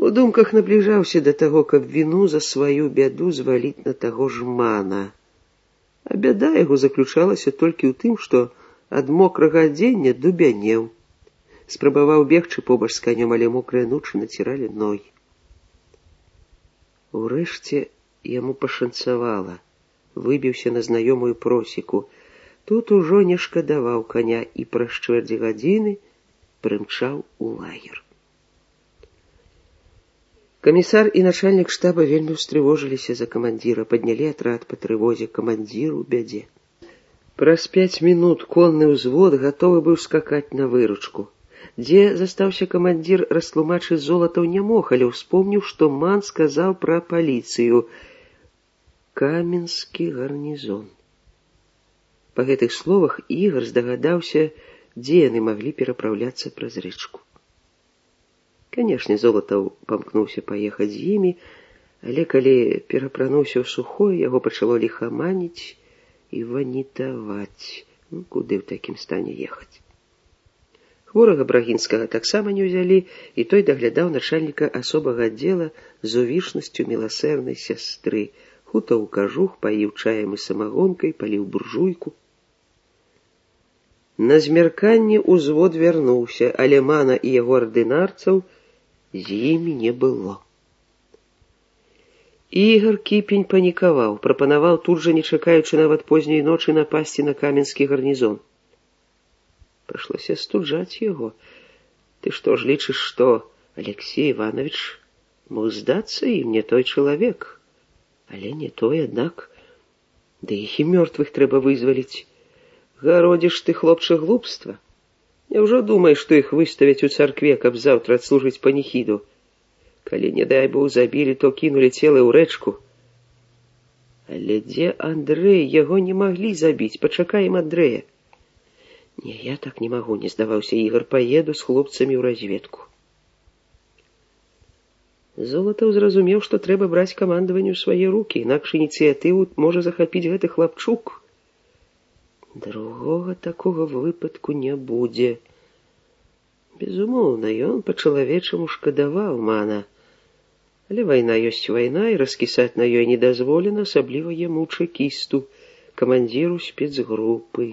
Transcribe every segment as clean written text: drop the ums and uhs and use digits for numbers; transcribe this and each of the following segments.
У думках набліжаўся да таго, каб віну за сваю бяду зваліць на таго ж мана. А бяда яго заключалася толькі ў тым, што ад мокрага адзення дубянеў. Спрабаваў бегчы побач з канём, але мокрыя нучы націралі ногі. Урэшце яму пашанцавала. Выбіўся на знаёмую просеку. Тут ужо не шкадаваў каня і праз чвэрць гадзіны прымчаў у лагер. Камісар і начальнік штаба вельмі ўстрывожыліся за камандзіра, паднялі атрад па трывозе, камандзір у бядзе. Праз 5 мінут конны ўзвод гатовы быў скакаць на выручку. Дзе застаўся камандзір, растлумачыць Золатаў не мог, але ўспомніў, што ман сказаў пра паліцыю. Каменскі гарнізон. Па гэтых словах Ігар здагадаўся, дзе яны маглі перапраўляцца праз рэчку. Канешне, Золатаў памкнуўся паехаць з імі, але калі перапрануўся ў сухое, яго пачало ліхаманіць і ванітаваць. Куды ў такім стане ехаць? Хворага Брагінскага таксама не ўзялі, і той даглядаў начальніка асобага аддзела з увішнасцю міласэрнай сястры. Хутаў кажух, паіў чаем і самагонкай, паліў буржуйку. На змярканні ўзвод вярнуўся, але мана і яго ардынарцаў з імі не было. Ігар Кіпень панікаваў, прапанаваў тут жа, не чакаючы нават позняй ночы, напасці на каменскі гарнізон. Прыйшлося астуджаць яго. Ты што ж лічыш, што Алексей Иванович мог здацца ім, не той чалавек? Але не той, аднак, да іх і мёртвых трэба вызваліць. Гародзіш ты, хлопча, глупства. Няўжо думаеш, што іх выставяць у царкве, каб заўтра адслужыць паніхіду? Калі, не дай Бог, забілі, то кінулі целы ў рэчку. Але дзе Андрэй? Яго не маглі забіць. Пачакаем Андрэя. Не, я так не магу, не здаваўся Ігар. Паеду з хлопцамі ў разведку. Золатаў зразумеў, што трэба браць камандаванне ў свае рукі, інакш ініцыятыву можа захапіць гэты хлапчук. Другога такога выпадку не будзе. Безумоўна, ён па-чалавечаму шкадаваў мана. Але вайна ёсць вайна, і раскісаць на ёй не дазволена, асабліва яму, чэкісту, камандзіру спецгрупы.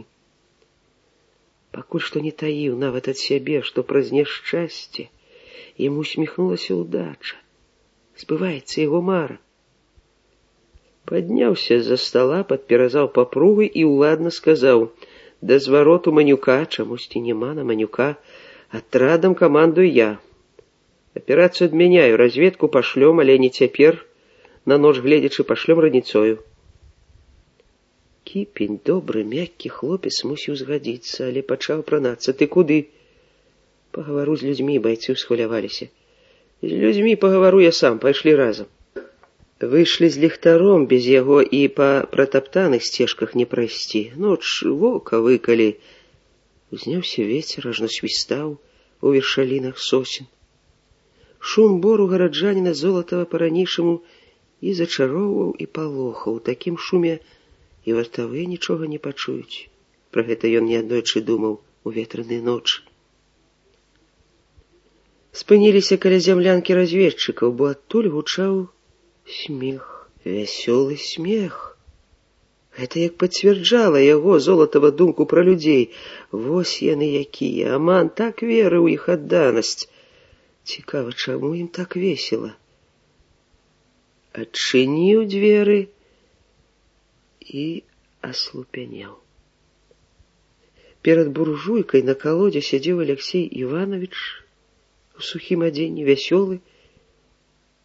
Пакуль што не таіў нават ад сябе, што праз няшчасце яму усміхнулася ўдача. Збываецца яго мара. Падняўся з-за стала, падперазаў папругай і ўладна сказаў: да звароту Манюка, чамусьці няма на Манюка, атрадам камандую я. Аперацыю адмяняю, разведку пашлём, але не цяпер, на ноч гледзячы пашлём раніцою. Кіпень, добры, мяккі хлопец, мусіў згадзіцца, але пачаў пранацца. Ты куды? Пагавару з людзьмі, байцы ўсхваляваліся. З людзьмі пагавару я сам, пайшлі разам. Выйшлі з ліхтаром, без яго і па пратаптаных сцежках не прайсці. Ноч вока выкалі. Узняўся вецер, ажно свістаў у вершалінах сосен. Шум бору гараджаніна Золатава па-ранейшаму і зачароўваў, і палохаў. У такім шуме і вартавыя нічога не пачуюць. Пра гэта ён неаднойчы думаў у ветраныя ночы. Спыніліся каля зямлянкі разведчыкаў, бо адтуль гучаў смех, вясёлы смех. Гэта як пацвярджала яго, Золатава, думку пра людзей. Вось яны якія, Аман так верыў іх адданасць. Цікава, чаму ім так весела? Адчыніў дзверы і аслупянеў. Перад буржуйкай на калодзе сядзеў Алексей Иванович у сухім адзенні, вясёлы,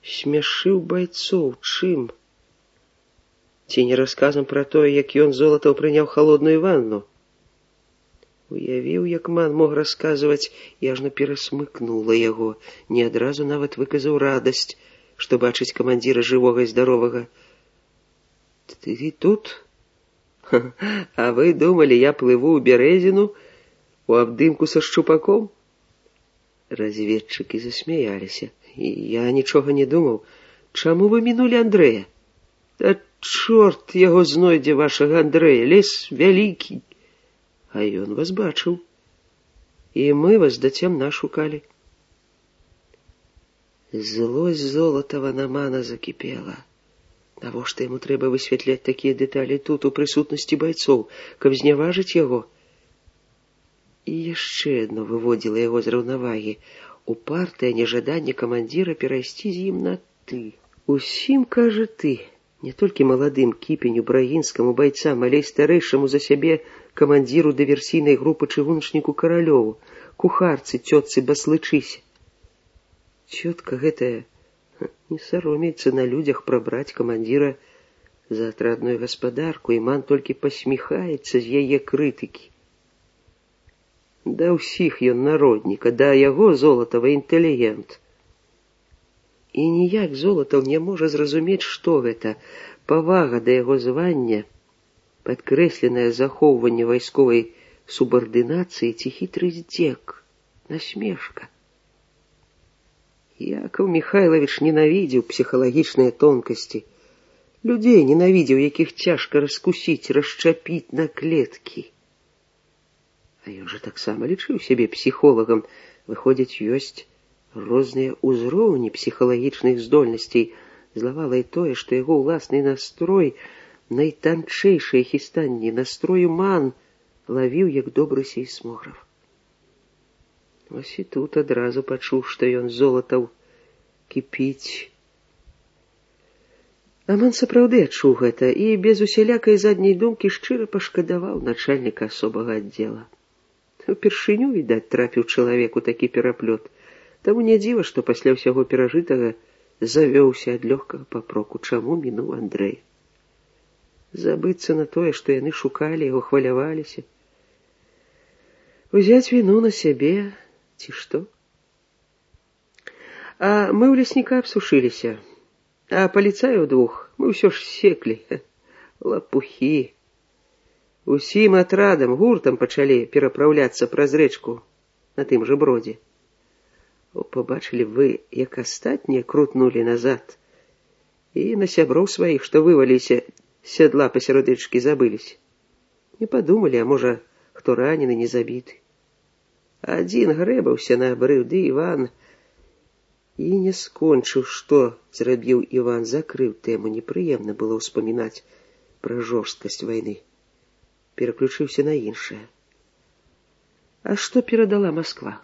смяшыў байцоў. Чым? Ці не расказам пра тое, як ён, Золатаў, прыняў халодную ванну? Уявіў, як ман мог расказваць, і ажно перасмыкнула яго. Не адразу нават выказаў радасць, што бачыць камандзіра жывога і здаровага. Ты тут? А вы думалі, я плыву ў Бярэзіну у абдымку са шчупаком? Разведчыкі засмяяліся. Я нічога не думаў. Чаму вы мінулі Андрэя? Да чорт яго знойдзе, вашага Андрэя, лес вялікі. А ён вас бачыў. І мы вас да цямна шукалі. Злость Золатова на мана закипела. Навошта яму трэба высвятляць такія дэталі тут, у прысутнасці байцоў, каб зняважыць яго? І яшчэ адно выводзіла яго з раўнавагі. Упартае нежаданне камандзіра перайсці з ім на «ты». Усім, кажа, ты. Не толькі маладым кіпеню брагінскаму байцам, але і старэйшаму за сябе камандзіру дыверсійнай групы чыгуначніку Каралёву, кухарцы, цётцы Баслычысе. Цётка гэтая не саромеецца на людзях прабраць камандзіра за атрадную гаспадарку, і ман толькі пасміхаецца з яе крытыкі. Да ўсіх ён народніка, да яго Золатава інтэлігент. І ніяк Золатаў не можа зразумець, што гэта павага да яго звання, падкрэсленае захоўванне вайсковай субардынацыі ці хітры здзек, насмешка. Якаў Міхайлавіч ненавідзеў псіхалагічныя тонкасці, людзей ненавідзеў, якіх цяжка раскусіць, расчапіць на клеткі. А ён жа таксама лічыў сябе псіхолагам. Выходзіць, ёсць розныя ўзроўні псіхалагічных здольнасцей. Злавала і тое, што яго ўласны настрой, найтанчэйшыя хістанні настрою ман лавіў як добры сейсмограф. Вось і тут адразу пачуў, што ён Золатаў кіпіць. Аман сапраўды адчуў гэта і без усялякай задняй думкі шчыра пашкадаваў начальніка асобага аддзела. Упершыню, відаць, трапіў чалавеку такі пераплёт. Таму не дзіва, што пасля ўсяго перажытага завёўся ад лёгкага папроку, чаму мінуў Андрэй. Забыцца на тое, што яны шукалі яго, хваляваліся. Узяць віну на сябе, ці што? А мы ў лесніка абсушыліся, а паліцаяў двух мы ўсё ж секлі. Лапухі. Усім атрадам, гуртам пачалі перапраўляцца праз рэчку на тым жа бродзе. Пабачылі вы, як астатнія крутнулі назад, і на сяброў сваіх, што вываліся з сядла пасярод рэчкі, забыліся. Не падумалі, а можа, хто ранены, не забіты. Адзін грэбаўся на абрыў, ды Іван і не скончыў, што зрабіў Іван, закрыў тэму. Непрыемна было ўспамінаць пра жорсткасць вайны. Пераключыўся на іншае. А што перадала Масква?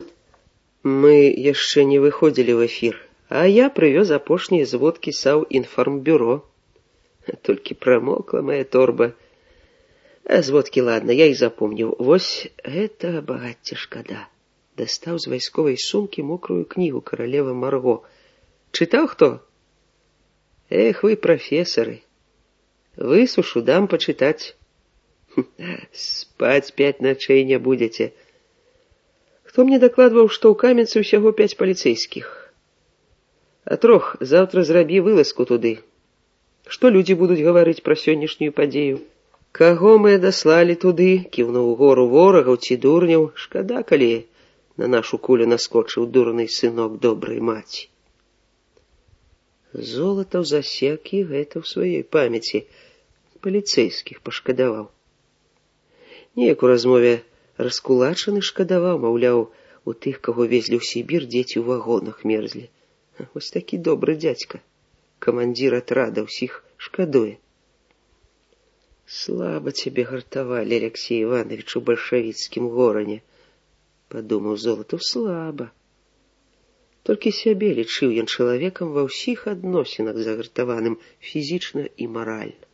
Мы яшчэ не выходзілі ў эфір, а я прывёз апошнія зводкі Саўінфармбюро. Толькі прамокла мая торба. А зводкі, ладно, я і запомніў. Вось гэта багацце шкада. Дастаў з вайсковай сумкі мокрую кнігу «Каралева Марго». Чытаў хто? Эх, вы прафесары. Высушу, дам пачытаць. Спаць 5 начэй не будзеце. Хто мне дакладваў, што ў Каменцы ўсяго 5 паліцэйскіх? А 3 заўтра зрабі вылазку туды. Што людзі будуць гаварыць пра сённяшнюю падзею? Каго мы адаслалі туды, кіўнуў гору ворагаў ці дурняў, шкада, калі на нашу кулю наскочыў дурны сынок добрай маці. Золатаў засек і гэта ў сваёй памяці. Паліцэйскіх пашкадаваў. Неяк у размове раскулачаны шкадаваў, маўляў, у тых, каго везлі ў Сібір, дзеці ў вагонах мерзлі. Вось такі добры дзядзька. Камандзір атрада ўсіх шкадуе. Слаба цябе гартавалі, Алексей Иванович, у бальшавіцкім горане, падумаў Золатаў, слаба. Толькі сябе лічыў ён чалавекам ва ўсіх адносінах загартаваным фізічна і маральна.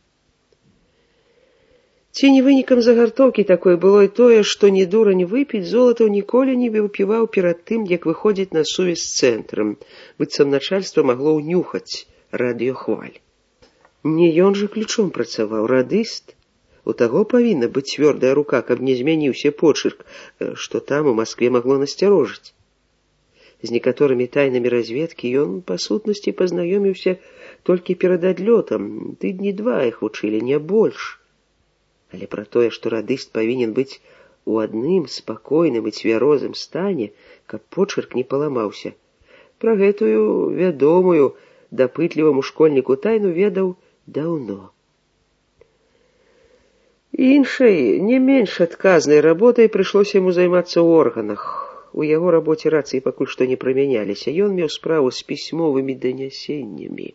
Ці не вынікам загартоўкі такой было і тое, што не дурань выпіць, Золатаў ніколі не выпіваў перад тым, як выходзіць на сувязь з цэнтрам, быццам начальства магло ўнюхаць радыёхваль. Не ён жа ключом працаваў, радыст. У таго павінна быць цвёрдая рука, каб не змяніўся почырк, што там у Маскве магло насцярожыць. З некаторымі тайнамі разведкі ён, па сутнасці, пазнаёміўся толькі перад адлётам, тыдні 2 іх вучылі, не больш. Але пра тое, што радыст павінен быць у адным спакойным і цвярозым стане, каб почырк не паламаўся, пра гэтую вядомую дапытліваму школьніку тайну ведаў даўно. Іншай, не менш адказнай работай прыйшлося яму займацца ў органах. у яго рабоце рацыі пакуль што не прымяняліся. Ён меў справу з пісьмовымі данясеннямі.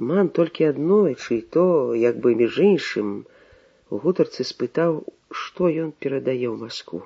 Ман толькі аднойчы, і то, як бы між іншым, у гутарцы спытаў, што ён перадае ў Маскву.